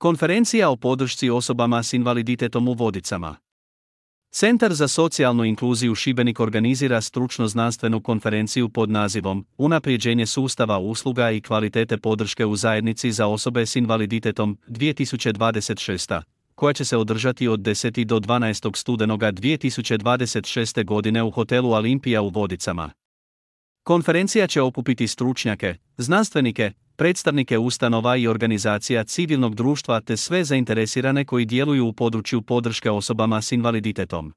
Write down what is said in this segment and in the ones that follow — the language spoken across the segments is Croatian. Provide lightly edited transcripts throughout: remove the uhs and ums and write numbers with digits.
Konferencija o podršci osobama s invaliditetom u Vodicama. Centar za socijalnu inkluziju Šibenik organizira stručno-znanstvenu konferenciju pod nazivom Unapređenje sustava usluga i kvalitete podrške u zajednici za osobe s invaliditetom 2026, koja će se održati od 10. do 12. studenoga 2026. godine u hotelu Olimpija u Vodicama. Konferencija će okupiti stručnjake, znanstvenike, predstavnike ustanova i organizacija civilnog društva te sve zainteresirane koji djeluju u području podrške osobama s invaliditetom.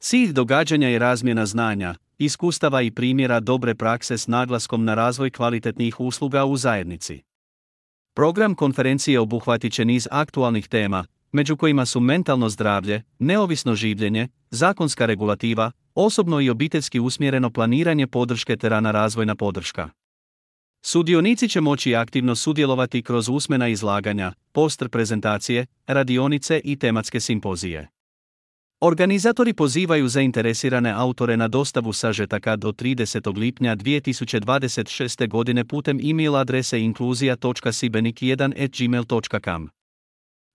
Cilj događanja je razmjena znanja, iskustava i primjera dobre prakse s naglaskom na razvoj kvalitetnih usluga u zajednici. Program konferencije obuhvatit će niz aktualnih tema, među kojima su mentalno zdravlje, neovisno življenje, zakonska regulativa, osobno i obiteljski usmjereno planiranje podrške te rana razvojna podrška. Sudionici će moći aktivno sudjelovati kroz usmena izlaganja, poster prezentacije, radionice i tematske simpozije. Organizatori pozivaju zainteresirane autore na dostavu sažetaka do 30. lipnja 2026. godine putem e-mail adrese inkluzija.sibenik1@gmail.com.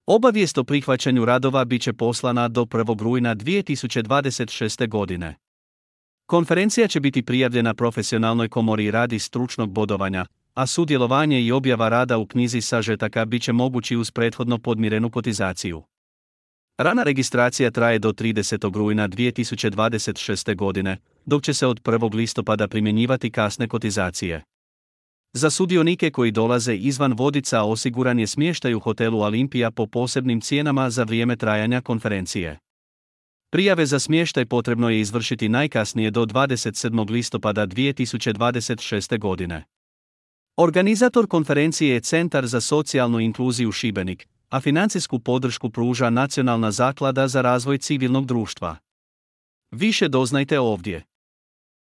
Obavijest o prihvaćanju radova bit će poslana do 1. rujna 2026. godine. Konferencija će biti prijavljena profesionalnoj komori radi stručnog bodovanja, a sudjelovanje i objava rada u knjizi sažetaka bit će mogući uz prethodno podmirenu kotizaciju. Rana registracija traje do 30. rujna 2026. godine, dok će se od 1. listopada primjenjivati kasne kotizacije. Za sudionike koji dolaze izvan Vodica osiguran je smještaj u hotelu Olimpija po posebnim cijenama za vrijeme trajanja konferencije. Prijave za smještaj potrebno je izvršiti najkasnije do 27. listopada 2026. godine. Organizator konferencije je Centar za socijalnu inkluziju Šibenik, a financijsku podršku pruža Nacionalna zaklada za razvoj civilnog društva. Više doznajte ovdje.